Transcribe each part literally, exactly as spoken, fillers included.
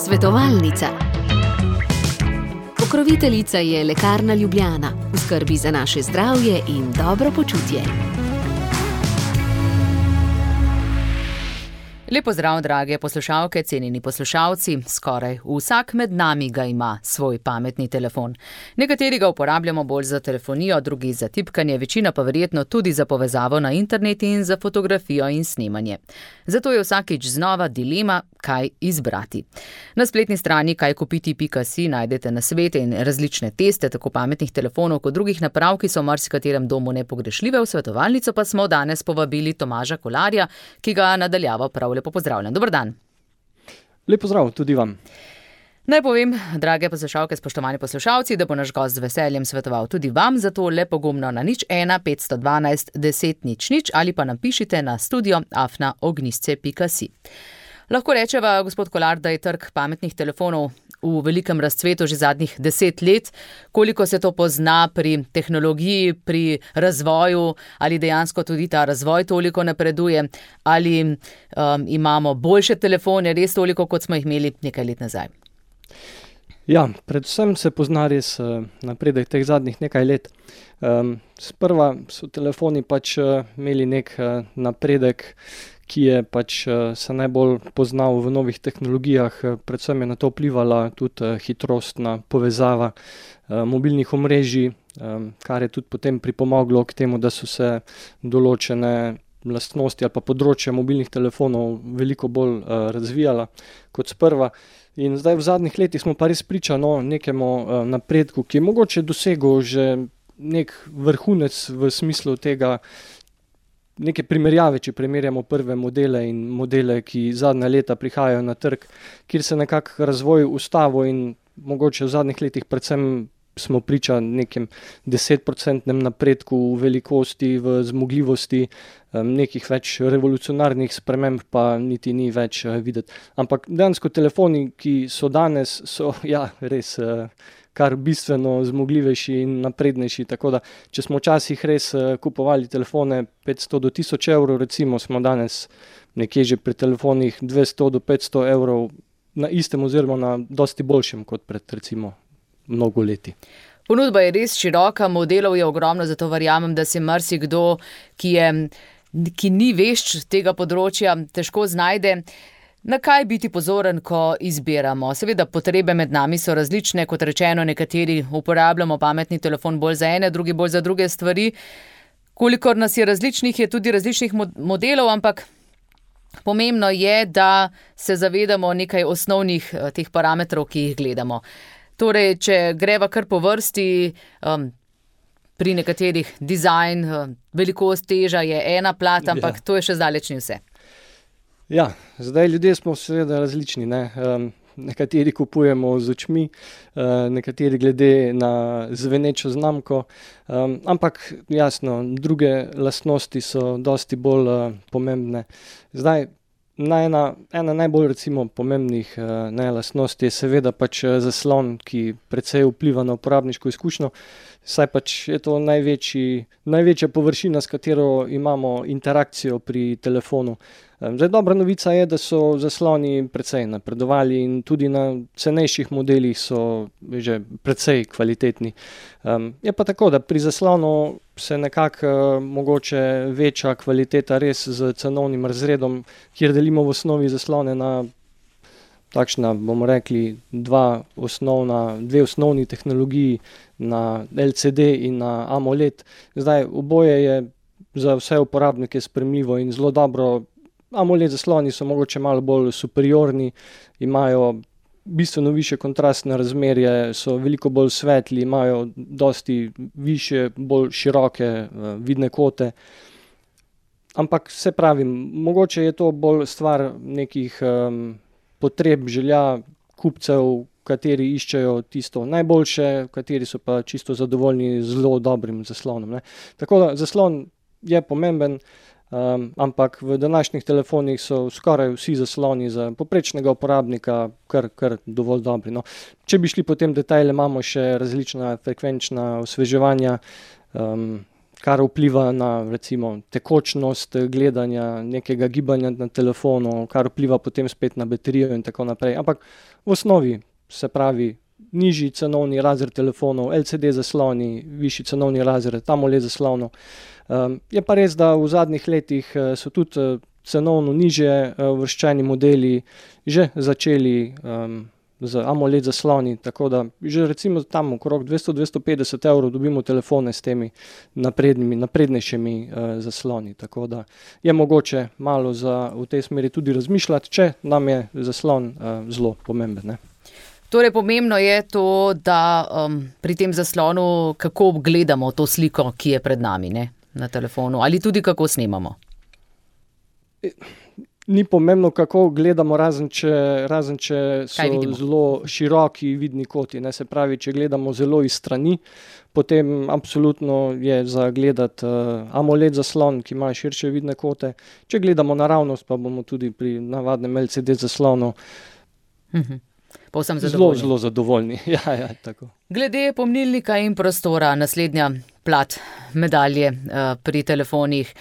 Svetovalnica. Pokroviteljica je Lekarna Ljubljana, v skrbi za naše zdravje in dobro počutje. Lepo zdrav, drage poslušalke, cenjeni poslušalci. Skoraj vsak med nami ga ima svoj pametni telefon. Nekateri ga uporabljamo bolj za telefonijo, drugi za tipkanje, večina pa verjetno tudi za povezavo na internet in za fotografijo in snemanje. Zato je vsakič znova dilema, kaj izbrati. Na spletni strani kaj kupiti pika si najdete nasvete in različne teste tako pametnih telefonov kot drugih naprav, ki so v marsikaterem domu nepogrešljive. V svetovalnico pa smo danes povabili Tomaža Kolarja, ki ga nadaljavo prav lepo pozdravljam. Dober dan. Lep pozdrav tudi vam. Naj povem, drage poslušalke, spoštovani poslušalci, da bo naš gost z veseljem svetoval tudi vam, zato le pogumno na nič ena petsto dvanajst deset nič nič ali pa napišite na studio afna ognjisce pika si. Lahko rečeva, gospod Kolar, da je trg pametnih telefonov v velikem razcvetu že zadnjih deset let. Koliko se to pozna pri tehnologiji, pri razvoju, ali dejansko tudi ta razvoj toliko napreduje, ali um, imamo boljše telefone, res toliko, kot smo jih imeli nekaj let nazaj? Ja, predvsem se pozna res napredek teh zadnjih nekaj let. Um, sprva so telefoni pač imeli nek napredek, ki je pač se najbolj poznal v novih tehnologijah, predvsem je na to vplivala tudi hitrostna povezava mobilnih omrežij, kar je tudi potem pripomoglo k temu, da so se določene lastnosti ali pa področja mobilnih telefonov veliko bolj razvijala kot sprva. In zdaj v zadnjih letih smo pa res priča no, nekemu napredku, ki je mogoče dosegel že nek vrhunec v smislu tega, neke primerjave, če primerjamo prve modele in modele, ki zadnja leta prihajajo na trg, kjer se nekako razvoj ustavil in mogoče v zadnjih letih predvsem smo priča nekem desetprocentnem napredku v velikosti, v zmogljivosti, nekih več revolucionarnih sprememb pa niti ni več videti. Ampak dejansko telefoni, ki so danes, so ja, res kar bistveno zmogljivejši in naprednejši, tako da če smo včasih res kupovali telefone petsto do tisoč evrov, recimo smo danes nekje že pri telefonih dvesto do petsto evrov na istem oziroma na dosti boljšem kot pred recimo mnogo leti. Ponudba je res široka, modelov je ogromno, zato verjamem, da se marsikdo, ki je, ki ni vešč tega področja, težko znajde. Na kaj biti pozoren, ko izbiramo? Seveda potrebe med nami so različne, kot rečeno, nekateri uporabljamo pametni telefon bolj za ene, drugi bolj za druge stvari. Kolikor nas je različnih, je tudi različnih modelov, ampak pomembno je, da se zavedamo nekaj osnovnih teh parametrov, ki jih gledamo. Torej, če greva kar po vrsti, um, pri nekaterih dizajn, um, velikost, teža je ena plat, ampak ja. To je še zdaleč ni vse. Ja, zdaj ljudje smo seveda različni, ne? Um, nekateri kupujemo z očmi, uh, nekateri glede na zvenečo znamko, um, ampak jasno, druge lastnosti so dosti bolj uh, pomembne. Zdaj, Na ena, ena najbolj recimo pomembnih uh, ne, lastnosti je seveda pač zaslon, ki precej vpliva na uporabniško izkušnjo, saj pač je to največji, največja površina, s katero imamo interakcijo pri telefonu. Um, zdaj, dobra novica je, da so zasloni precej napredovali in tudi na cenejših modelih so že precej kvalitetni. Um, je pa tako, da pri zaslonu se nekako uh, mogoče veča kvaliteta res z cenovnim razredom, kjer delimo v osnovi zaslone na takšna, bomo rekli, dva osnovna, dve osnovni tehnologiji, na el ce de in na AMOLED. Zdaj, oboje je za vse uporabnike sprejemljivo in zelo dobro. AMOLED zasloni so mogoče malo bolj superiorni, imajo bistveno više kontrastne razmerje, so veliko bolj svetli, imajo dosti više, bolj široke uh, vidne kote. Ampak se pravim, mogoče je to bolj stvar nekih um, potreb, želja kupcev, kateri iščejo tisto najboljše, kateri so pa čisto zadovoljni z zelo dobrim zaslonom. Ne. Tako da zaslon je pomemben, Um, ampak v današnjih telefonih so skoraj vsi zasloni za poprečnega uporabnika kar, kar dovolj dobri. No. Če bi šli po tem detajle, imamo še različna frekvenčna osveževanja, um, kar vpliva na recimo tekočnost gledanja, nekega gibanja na telefonu, kar vpliva potem spet na baterijo in tako naprej. Ampak v osnovi, se pravi, nižji cenovni razred telefonov, L C D zasloni, višji cenovni razred, AMOLED zaslonov. Um, je pa res, da v zadnjih letih so tudi cenovno nižje uvrščeni modeli že začeli um, z AMOLED zasloni, tako da že recimo tam okrog dvesto do dvesto petdeset evrov dobimo telefone s temi naprednimi, naprednejšimi uh, zasloni, tako da je mogoče malo za, v tej smeri tudi razmišljati, če nam je zaslon uh, zelo pomemben, ne. Torej, pomembno je to, da um, pri tem zaslonu kako gledamo to sliko, ki je pred nami, ne, na telefonu, ali tudi kako snemamo. Ni pomembno, kako gledamo, razen če, razen če so zelo široki vidni koti, ne, se pravi, če gledamo zelo iz strani, potem absolutno je za gledati uh, AMOLED zaslon, ki ima širše vidne kote. Če gledamo naravnost, pa bomo tudi pri navadnem L C D zaslonu mhm. zelo, zelo zadovoljni. Ja, ja, tako. Glede pomnilnika in prostora, naslednja plat medalje uh, pri telefonih.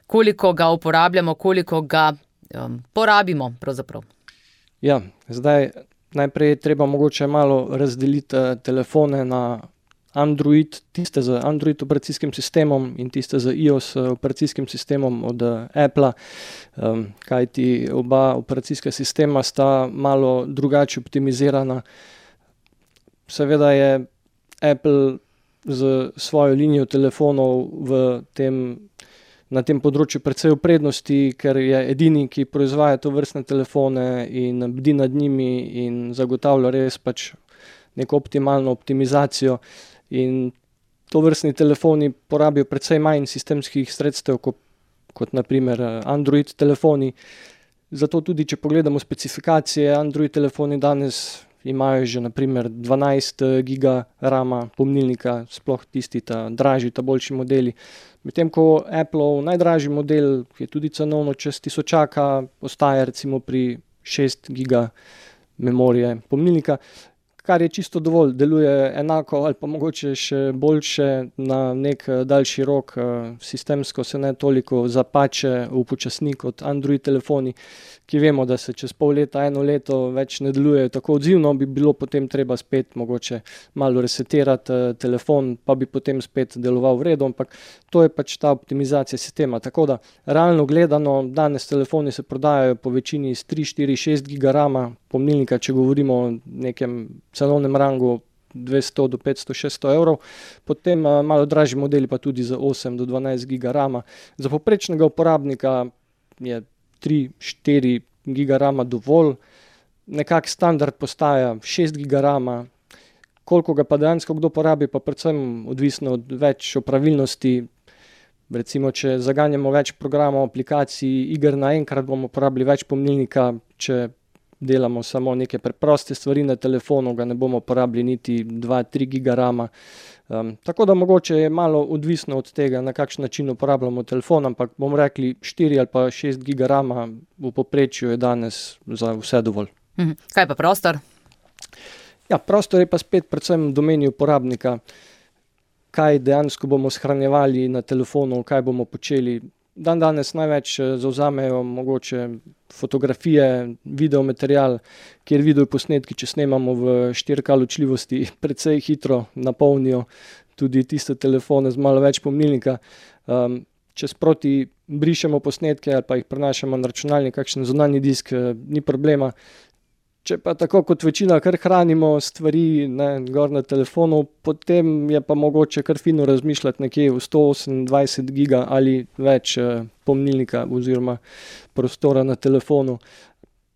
Koliko ga uporabljamo, koliko ga um, porabimo pravzaprav? Ja, zdaj najprej je treba mogoče malo razdeliti uh, telefone na Android, tiste z Android operacijskim sistemom in tiste z iOS operacijskim sistemom od uh, Appla, um, kajti oba operacijska sistema sta malo drugače optimizirana. Seveda je Apple z svojo linijo telefonov v tem na tem področju precej v prednosti, ker je edini, ki proizvaja tovrstne telefone in bdi nad njimi in zagotavlja res pač neko optimalno optimizacijo. In tovrstni telefoni porabijo precej manj sistemskih sredstev kot, kot na primer Android telefoni. Zato tudi, če pogledamo specifikacije, Android telefoni danes imajo že na primer dvanajst giga rama pomnilnika, sploh tisti ta dražji, ta boljši modeli. Medtem ko Appleov najdražji model, ki je tudi cenovno čez tisočaka, ostaja recimo pri šest giga memorije pomnilnika, kar je čisto dovolj, deluje enako ali pa mogoče še boljše na nek daljši rok, sistemsko se ne toliko zapače, upočasni kot Android telefoni, ki vemo, da se čez pol leta, eno leto več ne delujejo tako odzivno, bi bilo potem treba spet mogoče malo resetirati telefon, pa bi potem spet deloval v redu, ampak to je pač ta optimizacija sistema. Tako da realno gledano, danes telefoni se prodajajo po večini s tri, štiri, šest giga rama pomnilnika, če govorimo o nekem cenovnem rangu dvesto do petsto, šeststo evrov, potem malo dražji modeli pa tudi za osem do dvanajst giga rama. Za povprečnega uporabnika je tri, štiri giga rama dovolj, nekak standard postaja šest giga rama, koliko ga pa dejansko kdo porabi, pa predvsem odvisno od več opravilnosti. Recimo, če zaganjamo več programov, aplikacij, iger naenkrat, bomo porabili več pomnilnika, če delamo samo neke preproste stvari na telefonu, ga ne bomo porabili niti dva, tri giga rama. Um, tako da mogoče je malo odvisno od tega, na kakšen način uporabljamo telefon, ampak bomo rekli štiri ali pa šest giga rama v povprečju je danes za vse dovolj. Mhm. Kaj pa prostor? Ja, prostor je pa spet predvsem v domeni uporabnika, kaj dejansko bomo shranjevali na telefonu, kaj bomo počeli. Dan danes največ zavzamejo mogoče fotografije, videomaterial, kjer videoposnetki, če snemamo v štiri K ločljivosti, precej hitro napolnijo tudi tiste telefone z malo več pomnilnika. Um, če sproti brišemo posnetke ali pa jih prenašamo na računalnik, kakšen zunanji disk, ni problema. Če pa tako kot večina kar hranimo stvari, ne, gor na telefonu, potem je pa mogoče kar fino razmišljati nekje v sto osemindvajset giga ali več eh, pomnilnika oziroma prostora na telefonu.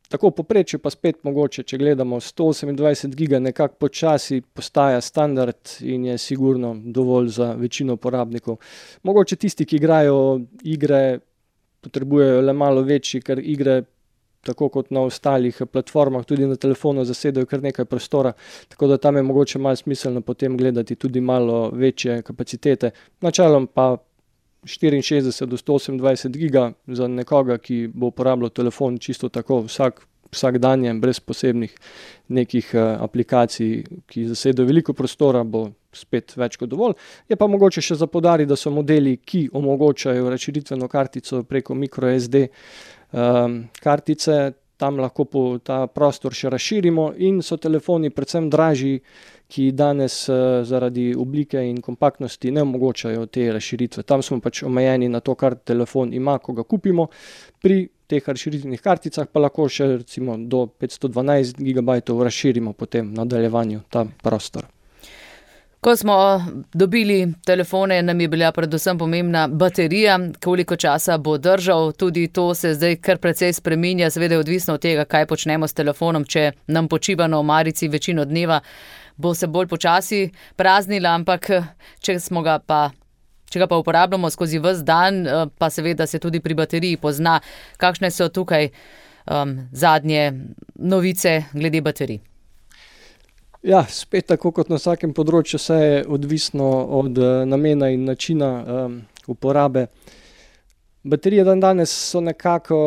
Tako v povprečju pa spet mogoče, če gledamo sto osemindvajset giga, nekako počasi postaja standard in je sigurno dovolj za večino uporabnikov. Mogoče tisti, ki igrajo igre, potrebujejo le malo večji, ker igre tako kot na ostalih platformah, tudi na telefonu zasedajo kar nekaj prostora, tako da tam je mogoče malo smiselno potem gledati tudi malo večje kapacitete. Načelom pa štiriinšestdeset do sto osemindvajset giga za nekoga, ki bo uporabljal telefon čisto tako vsak, vsak dan, brez posebnih nekih aplikacij, ki zasedajo veliko prostora, bo spet več kot dovolj. Je pa mogoče še za poudariti, da so modeli, ki omogočajo razširitveno kartico preko microSD um, kartice, tam lahko po ta prostor še razširimo in so telefoni predvsem dražji, ki danes uh, zaradi oblike in kompaktnosti ne omogočajo te razširitve. Tam smo pač omejeni na to, kar telefon ima, ko ga kupimo. Pri teh razširitvenih karticah pa lahko še recimo do petsto dvanajst gigabajtov razširimo potem v nadaljevanju ta prostor. Ko smo dobili telefone, nam je bila predvsem pomembna baterija, koliko časa bo držal. Tudi to se zdaj kar precej spreminja, seveda je odvisno od tega, kaj počnemo s telefonom. Če nam počiva na omarici večino dneva, bo se bolj počasi praznila, ampak če smo ga pa, če ga pa uporabljamo skozi ves dan, pa seveda se tudi pri bateriji pozna, kakšne so tukaj um, zadnje novice glede baterij. Ja, spet tako kot na vsakem področju, vse je odvisno od uh, namena in načina um, uporabe. Baterije dan danes so nekako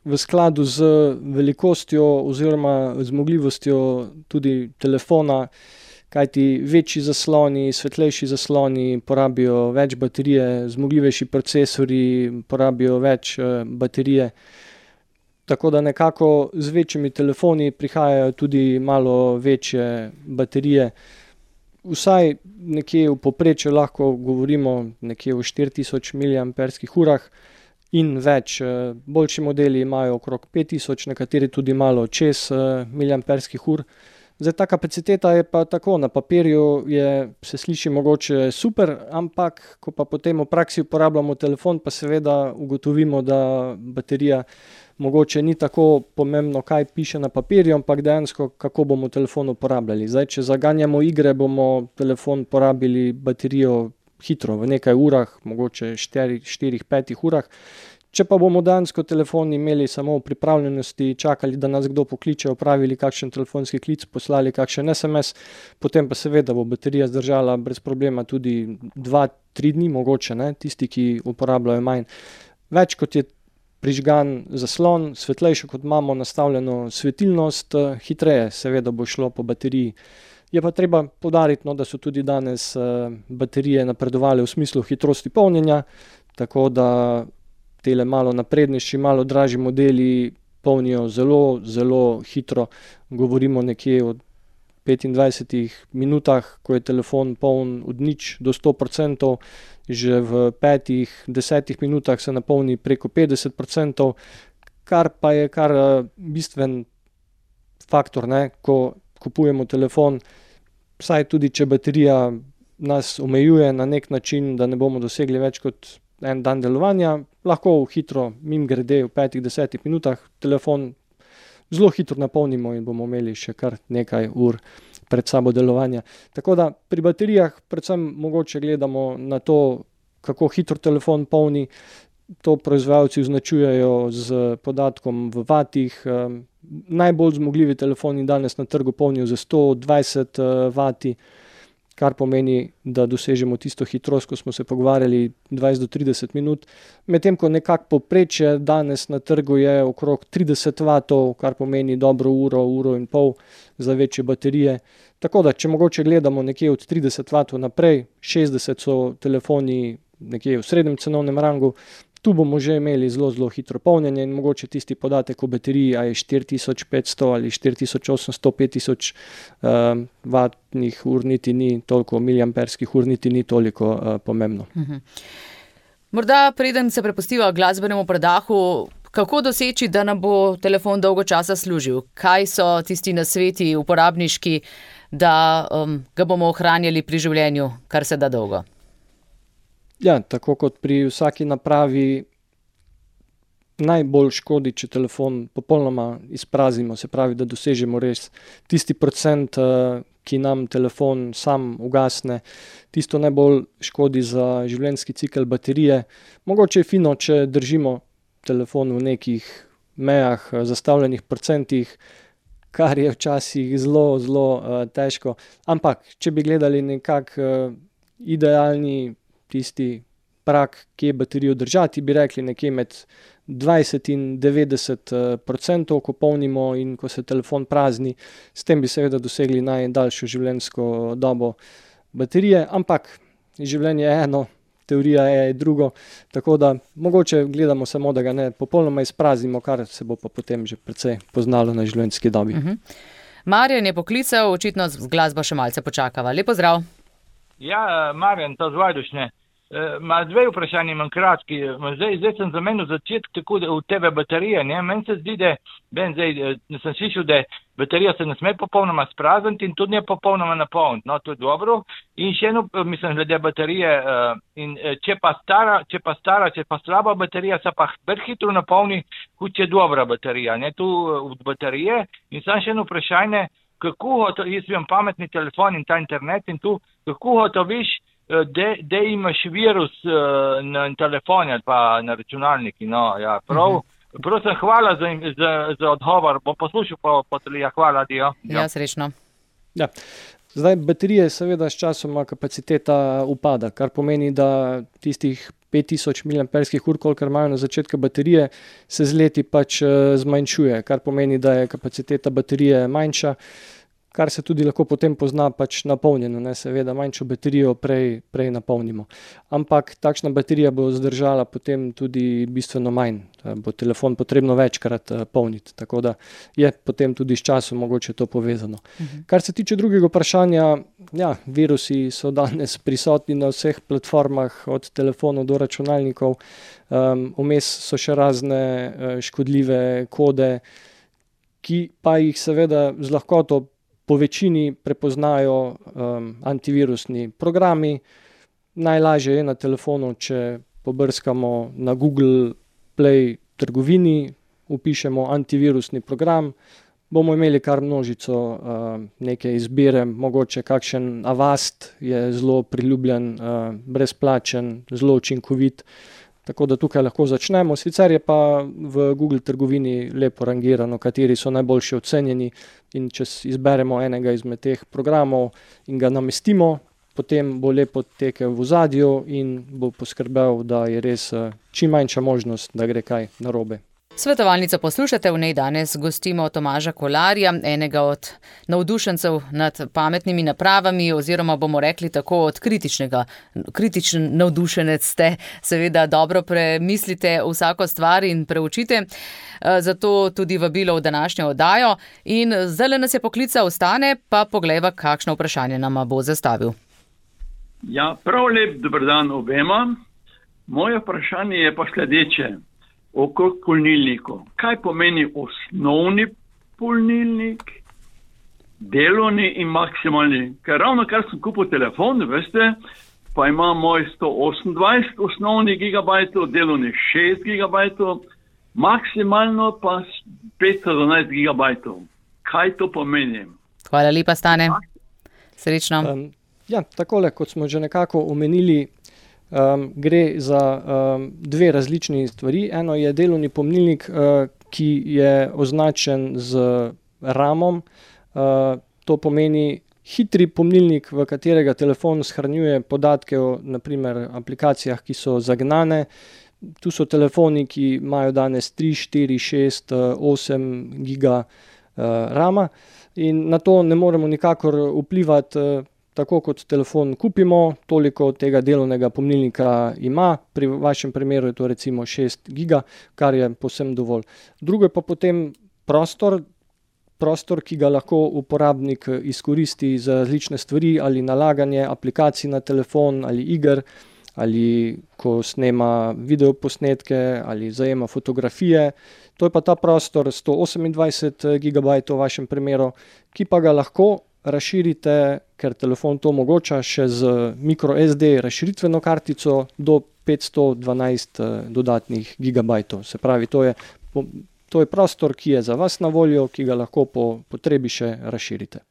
v skladu z velikostjo oziroma zmogljivostjo tudi telefona, kajti večji zasloni, svetlejši zasloni porabijo več baterije, zmogljivejši procesori porabijo več uh, baterije. Tako da nekako z večjimi telefoni prihajajo tudi malo večje baterije. Vsaj nekje v povprečju lahko govorimo nekje o štiri tisoč miliamperskih urah in več. Boljši modeli imajo okrog pet tisoč, nekateri tudi malo čez miliamperskih ur. Zdaj, ta kapaciteta je pa tako, na papirju je, se sliši mogoče super, ampak ko pa potem v praksi uporabljamo telefon, pa seveda ugotovimo, da baterija mogoče ni tako pomembno, kaj piše na papirju, ampak dejansko, kako bomo telefon uporabljali. Zdaj, če zaganjamo igre, bomo telefon porabili baterijo hitro, v nekaj urah, mogoče štiri pet urah. Če pa bomo dejansko telefon imeli samo v pripravljenosti, čakali, da nas kdo pokliče, opravili kakšen telefonski klic, poslali kakšen es em es, potem pa seveda bo baterija zdržala brez problema tudi dva tri dni, mogoče, ne, tisti, ki uporabljajo manj. Več kot je prižgan zaslon, svetlejšo kot imamo nastavljeno svetilnost, hitreje seveda bo šlo po bateriji. Je pa treba poudariti, no, da so tudi danes uh, baterije napredovale v smislu hitrosti polnjenja, tako da tele malo naprednejši, malo dražji modeli polnijo zelo, zelo hitro. Govorimo nekje o petindvajsetih minutah, ko je telefon poln od nič do sto procentov, že v petih, desetih minutah se napolni preko petdeset procentov, kar pa je kar bistven faktor, ne, ko kupujemo telefon, saj tudi če baterija nas omejuje na nek način, da ne bomo dosegli več kot en dan delovanja, lahko hitro mimogrede v petih, desetih minutah telefon zelo hitro napolnimo in bomo imeli še kar nekaj ur pred sabo delovanja. Tako da pri baterijah predvsem mogoče gledamo na to, kako hitro telefon polni. To proizvajalci označujejo z podatkom v vatih. Najbolj zmogljivi telefoni danes na trgu polnijo za sto dvajset vati, kar pomeni, da dosežemo tisto hitrost, ko smo se pogovarjali, dvajset do trideset minut. Medtem ko nekako povprečje danes na trgu je okrog trideset vatov, kar pomeni dobro uro, uro in pol za večje baterije. Tako da, če mogoče gledamo nekje od trideset vatov naprej, šestdeset so telefoni nekje v srednjem cenovnem rangu, tu bomo že imeli zelo, zelo hitro polnjenje in mogoče tisti podatek o bateriji, a je štiri tisoč petsto ali štiri tisoč osemsto, pet tisoč uh, vatnih ur niti ni toliko, miliamperskih ur niti ni toliko uh, pomembno. Mhm. Morda preden se prepustiva glasbenemu predahu, kako doseči, da nam bo telefon dolgo časa služil? Kaj so tisti nasveti uporabniški, da um, ga bomo ohranjali pri življenju, kar se da dolgo? Ja, tako kot pri vsaki napravi najbolj škodi, če telefon popolnoma izpraznimo, se pravi, da dosežemo res tisti procent, ki nam telefon sam ugasne. Tisto najbolj škodi za življenjski cikel baterije. Mogoče je fino, če držimo telefon v nekih mejah, zastavljenih procentih, kar je včasih zelo, zelo uh, težko. Ampak, če bi gledali nekak uh, idealni tisti prak, kje baterijo držati, bi rekli nekje med dvajset in devetdeset procentov, ko polnimo in ko se telefon prazni. S tem bi seveda dosegli najdaljšo življenjsko dobo baterije, ampak življenje je eno, teorija je drugo, tako da mogoče gledamo samo, da ga ne popolnoma izpraznimo, kar se bo pa potem že precej poznalo na življenjski dobi. Uh-huh. Marjan je poklical, očitno z glasbo še malce počakava. Lep pozdrav. Ja, Marjan, to z Vajdušne. Ma dve vprašanje imam kratki. Zdaj, zdaj sem zamenil začetek tako v tebe baterije. Ne? Meni se zdi, da ben, zdaj, sem slišal, da baterija se ne sme popolnoma sprazniti in tudi ne popolnoma napolniti. No, to je dobro. In še eno, mislim, glede baterije. In če pa stara, če pa stara, če pa slaba baterija, se pa ber hitro napolni, kot če je dobra baterija. Ne? Tu od baterije. In sam še eno vprašanje, kako to, jaz imam pametni telefon in ta internet in tu, kako to viš, da imaš virus uh, na telefonu ali pa na računalniki. No, ja, prav. Uh-huh. Prosim, hvala za, za, za odgovor. Bom poslušal po, po telija. Hvala, dio. Ja, ja srečno. Ja. Zdaj, baterije seveda s časoma kapaciteta upada, kar pomeni, da tistih pet tisoč miliamperskih ur, kolikor imajo na začetku baterije, se z leti pač zmanjšuje, kar pomeni, da je kapaciteta baterije manjša, kar se tudi lahko potem pozna pač napolnjeno, ne, seveda manjšo baterijo prej, prej napolnimo. Ampak takšna baterija bo zdržala potem tudi bistveno manj, bo telefon potrebno večkrat polniti, tako da je potem tudi s časom mogoče to povezano. Uh-huh. Kar se tiče drugega vprašanja, ja, virusi so danes prisotni na vseh platformah, od telefonov do računalnikov, um, vmes so še razne uh, škodljive kode, ki pa jih seveda z lahkoto po večini prepoznajo um, antivirusni programi. Najlažje je na telefonu, če pobrskamo na Google Play trgovini, upišemo antivirusni program, bomo imeli kar množico uh, neke izbire, mogoče kakšen Avast je zelo priljubljen, uh, brezplačen, zelo učinkovit. Tako da tukaj lahko začnemo. Sicer je pa v Google trgovini lepo rangirano, kateri so najboljši ocenjeni, in če izberemo enega izmed teh programov in ga namestimo, potem bo lepo tekel v ozadju in bo poskrbel, da je res čim manjša možnost, da gre kaj narobe. Svetovalnico poslušate, v njej danes gostimo Tomaža Kolarja, enega od navdušencev nad pametnimi napravami, oziroma bomo rekli tako od kritičnega. Kritičen navdušenec ste, seveda dobro premislite vsako stvar in preučite, zato tudi vabilo v današnjo oddajo. In zdaj nas je poklical, ostane, pa poglejva, kakšno vprašanje nama bo zastavil. Ja, prav lep dober dan obema. Moje vprašanje je pa sledeče. Okrog polnilnikov. Kaj pomeni osnovni polnilnik, delovni in maksimalni? Ker ravno kar sem kupil telefon, veste, pa ima moj sto osemindvajset osnovnih gigabajtov, delovni šest gigabajtov, maksimalno pa petsto dvanajst gigabajtov. Kaj to pomeni? Hvala lepa, Stane. Srečno. Um, ja, takole, kot smo že nekako omenili, Um, gre za um, dve različni stvari. Eno je delovni pomnilnik, uh, ki je označen z ramom. Uh, to pomeni hitri pomnilnik, v katerega telefon shranjuje podatke o naprimer aplikacijah, ki so zagnane. Tu so telefoni, ki imajo danes tri, štiri, šest, osem giga uh, rama in na to ne moremo nikakor vplivati. Uh, Tako kot telefon kupimo, toliko tega delovnega pomnilnika ima. Pri vašem primeru je to recimo šest giga, kar je povsem dovolj. Drugo je pa potem prostor, prostor, ki ga lahko uporabnik izkoristi za različne stvari, ali nalaganje aplikacij na telefon, ali iger, ali ko snema videoposnetke, ali zajema fotografije. To je pa ta prostor sto osemindvajset gigabajtov v vašem primeru, ki pa ga lahko razširite, ker telefon to omogoča, še z micro es de razširitveno kartico do petsto dvanajst dodatnih gigabajtov. Se pravi, to je, to je prostor, ki je za vas na voljo, ki ga lahko po potrebi še razširite.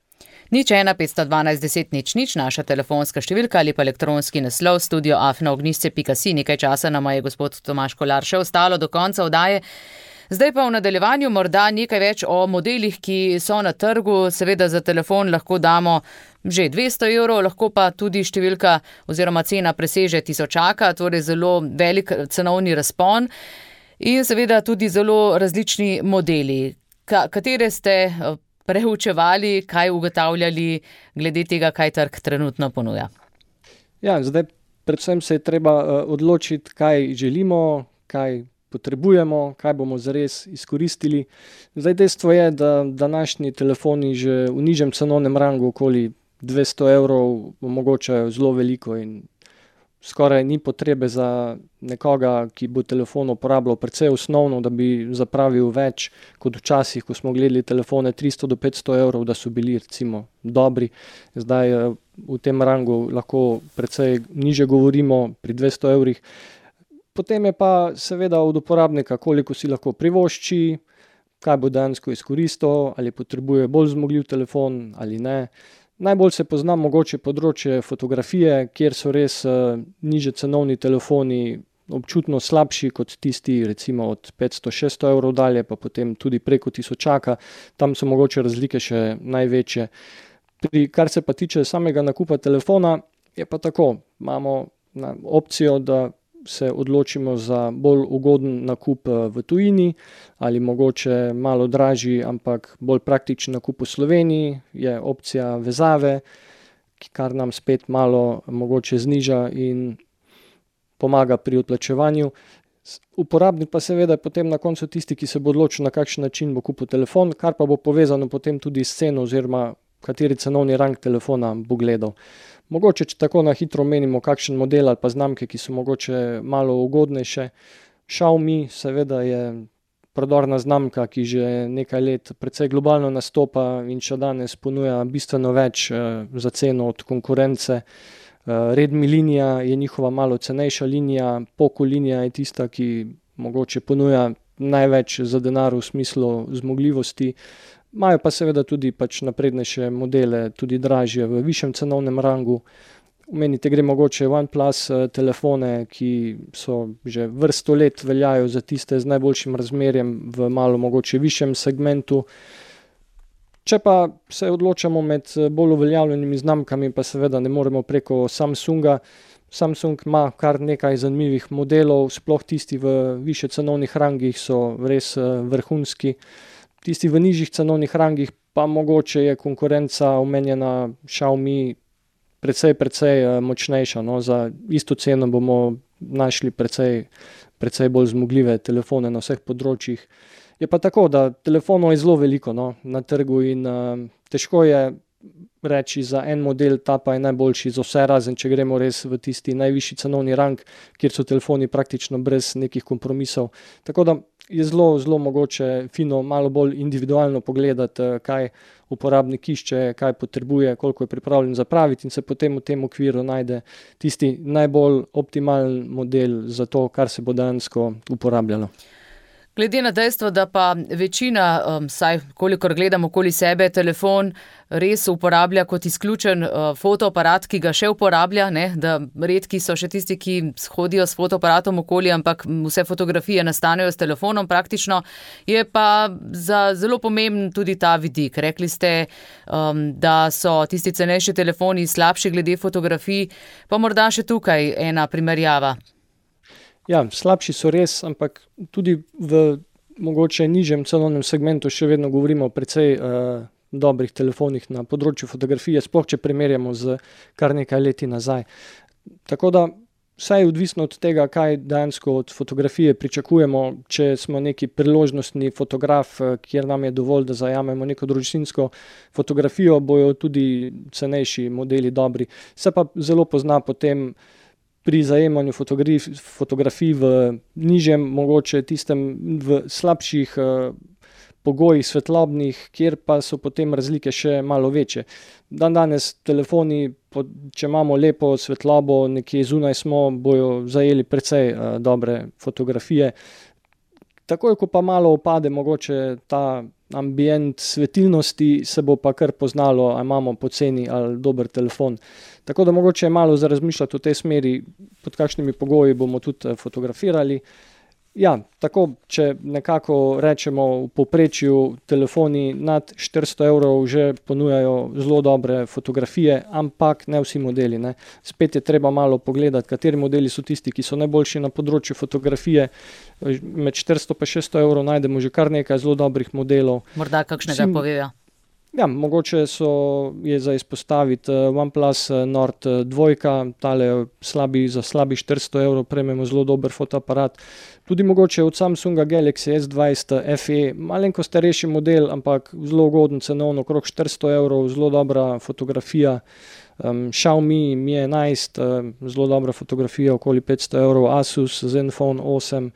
Nič ena petsto dvanajst deset nič nič, naša telefonska številka ali pa elektronski naslov studio afna ognjišče pika si. Nekaj časa nama je gospod Tomaž Kolar še ostalo do konca oddaje. Zdaj pa v nadaljevanju morda nekaj več o modelih, ki so na trgu. Seveda za telefon lahko damo že dvesto evrov, lahko pa tudi številka oziroma cena preseže tisočaka, torej zelo velik cenovni razpon in seveda tudi zelo različni modeli. Ka- katere ste preučevali, kaj ugotavljali glede tega, kaj trg trenutno ponuja? Ja, zdaj predvsem se je treba uh, odločiti, kaj želimo, kaj potrebujemo, kaj bomo zares izkoristili. Zdaj dejstvo je, da današnji telefoni že v nižjem cenovnem rangu okoli dvesto evrov omogočajo zelo veliko in skoraj ni potrebe za nekoga, ki bo telefon uporabljal precej osnovno, da bi zapravil več kot včasih, ko smo gledali telefone tristo do petsto evrov, da so bili recimo dobri. Zdaj v tem rangu lahko precej niže govorimo pri dvesto evrih. Potem je pa seveda od uporabnika, koliko si lahko privošči, kaj bo dejansko izkoristil, ali potrebuje bolj zmogljiv telefon ali ne. Najbolj se pozna mogoče področje fotografije, kjer so res uh, niže cenovni telefoni občutno slabši kot tisti recimo od petsto do šeststo evrov dalje, pa potem tudi preko tisočaka. Tam so mogoče razlike še največje. Pri, kar se pa tiče samega nakupa telefona, je pa tako. Imamo na, opcijo, da se odločimo za bolj ugoden nakup v tujini ali mogoče malo dražji, ampak bolj praktičen nakup v Sloveniji, je opcija vezave, kar nam spet malo mogoče zniža in pomaga pri odplačevanju. Uporabnik pa seveda potem na koncu tisti, ki se bo odločil, na kakšen način bo kupil telefon, kar pa bo povezano potem tudi s ceno oziroma kateri cenovni rang telefona bo gledal. Mogoče, če tako na hitro omenimo kakšen model ali pa znamke, ki so mogoče malo ugodnejše. Xiaomi seveda je prodorna znamka, ki že nekaj let precej globalno nastopa in še danes ponuja bistveno več eh, za ceno od konkurence. Eh, Redmi linija je njihova malo cenejša linija, Poco linija je tista, ki mogoče ponuja največ za denar v smislu zmogljivosti. Imajo pa seveda tudi pač naprednejše modele, tudi dražje v višjem cenovnem rangu. Omenite gre mogoče OnePlus telefone, ki so že vrsto let veljajo za tiste z najboljšim razmerjem v malo mogoče višjem segmentu. Če pa se odločamo med bolj uveljavljenimi znamkami, pa seveda ne moremo preko Samsunga. Samsung ima kar nekaj zanimivih modelov, sploh tisti v višje cenovnih rangih so res vrhunski. Tisti v nižjih cenovnih rangih pa mogoče je konkurenca omenjena Xiaomi precej, precej močnejša. No, za isto ceno bomo našli precej, precej bolj zmogljive telefone na vseh področjih. Je pa tako, da telefonov je zelo veliko no, na trgu in uh, težko je reči za en model, ta pa je najboljši za vse, razen če gremo res v tisti najvišji cenovni rang, kjer so telefoni praktično brez nekih kompromisov. Tako da je zelo, zelo mogoče fino, malo bolj individualno pogledati, kaj uporabnik išče, kaj potrebuje, koliko je pripravljen zapraviti in se potem v tem okviru najde tisti najbolj optimalen model za to, kar se bo dejansko uporabljalo. Glede na dejstvo, da pa večina, um, saj kolikor gledam okoli sebe, telefon res uporablja kot izključen uh, fotoaparat, ki ga še uporablja, ne? Da redki so še tisti, ki hodijo s fotoaparatom okoli, ampak vse fotografije nastanejo s telefonom praktično, je pa za zelo pomemben tudi ta vidik. Rekli ste, um, da so tisti cenejši telefoni slabši glede fotografij, pa morda še tukaj ena primerjava. Ja, slabši so res, ampak tudi v mogoče nižjem cenovnem segmentu še vedno govorimo o precej uh, dobrih telefonih na področju fotografije, sploh če primerjamo z kar nekaj leti nazaj. Tako da vse je odvisno od tega, kaj dejansko od fotografije pričakujemo. Če smo neki priložnostni fotograf, kjer nam je dovolj, da zajamemo neko družinsko fotografijo, bojo tudi cenejši modeli dobri. Se pa zelo pozna potem pri zajemanju fotografij v nižjem, mogoče tistem v slabših uh, pogojih svetlobnih, kjer pa so potem razlike še malo večje. Dan danes telefoni, če imamo lepo svetlobo, nekje zunaj smo, bojo zajeli precej uh, dobre fotografije. Takoj, ko pa malo opade mogoče ta ambient svetilnosti, se bo pa kar poznalo, ali imamo poceni ali dober telefon. Tako da mogoče je malo za razmišljati v tej smeri, pod kakšnimi pogoji bomo tudi fotografirali. Ja, tako, če nekako rečemo v povprečju, telefoni nad štiristo evrov že ponujajo zelo dobre fotografije, ampak ne vsi modeli, ne. Spet je treba malo pogledati, kateri modeli so tisti, ki so najboljši na področju fotografije. Med štiristo pa šeststo evrov najdemo že kar nekaj zelo dobrih modelov. Morda kakšnega Vsi- povejo. Ja, mogoče so, je za izpostaviti eh, OnePlus eh, Nord eh, dva, tale slabi, za slabi štiristo evrov prejmemo zelo dober fotoaparat. Tudi mogoče od Samsunga Galaxy S dvajset F E, malenko starejši model, ampak zelo ugoden cenovno, okrog štiristo evrov, zelo dobra fotografija. Um, Xiaomi Mi enajst, um, zelo dobra fotografija, okoli petsto evrov, Asus Zenfone osem.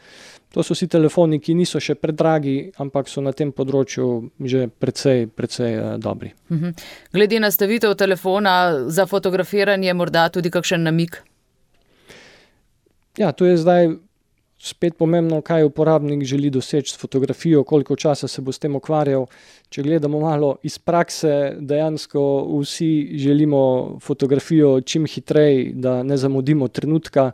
To so vsi telefoni, ki niso še predragi, ampak so na tem področju že precej, precej uh, dobri. Mhm. Glede nastavitev telefona za fotografiranje morda tudi kakšen namig? Ja, tu je zdaj spet pomembno, kaj uporabnik želi doseči s fotografijo, koliko časa se bo s tem ukvarjal. Če gledamo malo iz prakse, dejansko vsi želimo fotografijo čim hitreje, da ne zamudimo trenutka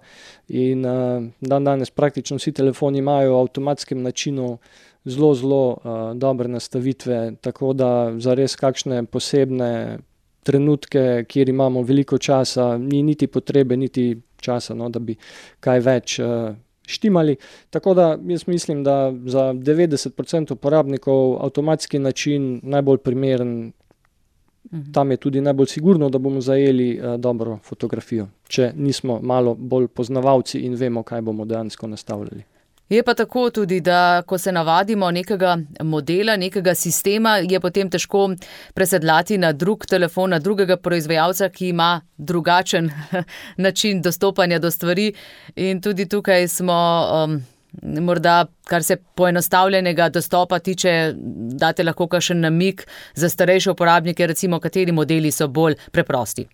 in uh, dan danes praktično vsi telefoni imajo v avtomatskem načinu zelo, zelo uh, dobre nastavitve, tako da za res kakšne posebne trenutke, kjer imamo veliko časa, ni niti potrebe, niti časa, no, da bi kaj več uh, štimali. Tako da jaz mislim, da za devetdeset procentov uporabnikov avtomatski način najbolj primeren, Mhm. tam je tudi najbolj sigurno, da bomo zajeli uh, dobro fotografijo, če nismo malo bolj poznavalci in vemo, kaj bomo dejansko nastavljali. Je pa tako tudi, da ko se navadimo nekega modela, nekega sistema, je potem težko presedlati na drug telefon, na drugega proizvajalca, ki ima drugačen način dostopanja do stvari. In tudi tukaj smo um, morda, kar se poenostavljenega dostopa tiče, date lahko kakšen namig za starejše uporabnike, recimo kateri modeli so bolj preprosti.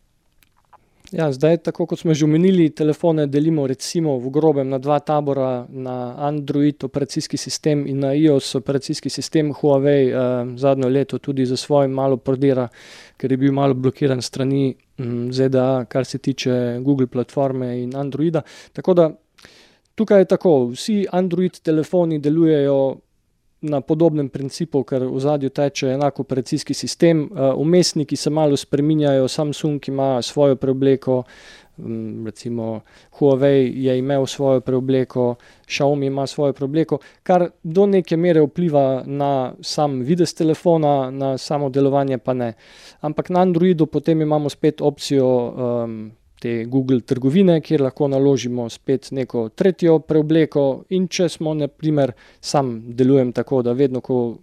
Ja, zdaj, tako kot smo že omenili, telefone delimo recimo v grobem na dva tabora, na Android operacijski sistem in na iOS operacijski sistem. Huawei eh, zadnjo leto tudi za svojim malo prodira, ker je bil malo blokiran strani mm, Z D A, kar se tiče Google platforme in Androida. Tako da tukaj je tako, vsi Android telefoni delujejo na podobnem principu, ker v zadju teče enak operacijski sistem. Vmesniki se malo spreminjajo, Samsung ima svojo preobleko, recimo Huawei je imel svojo preobleko, Xiaomi ima svojo preobleko, kar do neke mere vpliva na sam videz telefona, na samo delovanje pa ne. Ampak na Androidu potem imamo spet opcijo um, te Google trgovine, kjer lahko naložimo spet neko tretjo preobleko in če smo, na primer, sam delujem tako, da vedno, ko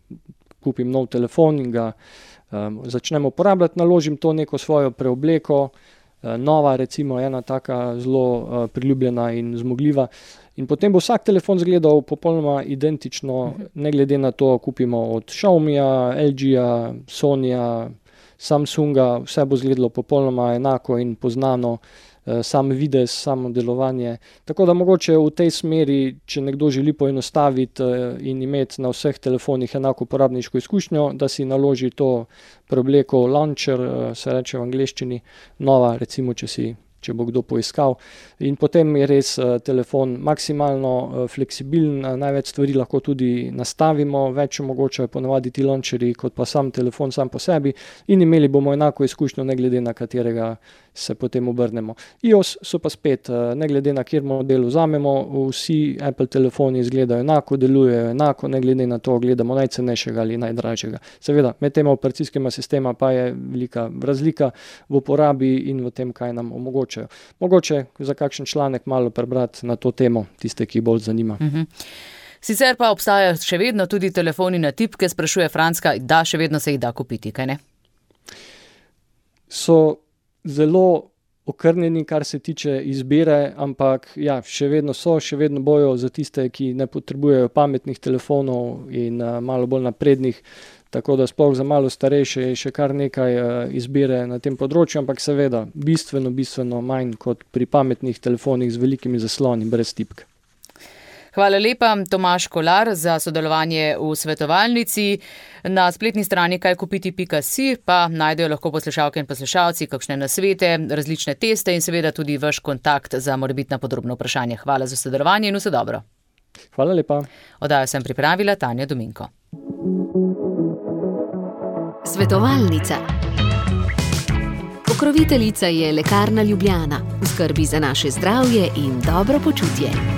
kupim nov telefon in ga um, začnem uporabljati, naložim to neko svojo preobleko, uh, nova recimo, ena taka zelo uh, priljubljena in zmogljiva. In potem bo vsak telefon izgledal popolnoma identično, ne glede na to, kupimo od Xiaomija, L G-ja, Sonyja, Samsunga, vse bo izgledalo popolnoma enako in poznano, sam videz, samo delovanje. Tako da mogoče v tej smeri, če nekdo želi poenostaviti in imeti na vseh telefonih enako uporabniško izkušnjo, da si naloži to preobleko launcher, se reče v angleščini, nova, recimo, če si če bo kdo poiskal. In potem je res uh, telefon maksimalno uh, fleksibilen, uh, največ stvari lahko tudi nastavimo, več omogočajo ponavadi ti launcherji kot pa sam telefon sam po sebi in imeli bomo enako izkušnjo, ne glede na katerega se potem obrnemo. iOS so pa spet, uh, ne glede na kjer model vzamemo, vsi Apple telefoni izgledajo enako, delujejo enako, ne glede na to, gledamo najcenejšega ali najdražjega. Seveda, med tema operacijskima sistema pa je velika razlika v uporabi in v tem, kaj nam omogoča. Mogoče za kakšen članek malo prebrati na to temo, tiste, ki bolj zanima. Mhm. Sicer pa obstajajo še vedno tudi telefoni na tipke, sprašuje Franska, da še vedno se jih da kupiti, kaj ne? So zelo okrnjeni, kar se tiče izbire, ampak ja, še vedno so, še vedno bojo za tiste, ki ne potrebujejo pametnih telefonov in uh, malo bolj naprednih. Tako da sploh za malo starejše je še kar nekaj uh, izbire na tem področju, ampak seveda bistveno, bistveno manj kot pri pametnih telefonih z velikimi zasloni, brez tipk. Hvala lepa, Tomaž Kolar, za sodelovanje v svetovalnici. Na spletni strani kaj kupiti pika si pa najdejo lahko poslušalke in poslušalci kakšne nasvete, različne teste in seveda tudi vaš kontakt za morebitna podrobna vprašanja. Hvala za sodelovanje in vse dobro. Hvala lepa. Oddajo sem pripravila Tanja Dominko. Svetovalnica. Pokroviteljica je Lekarna Ljubljana, v skrbi za naše zdravje in dobro počutje.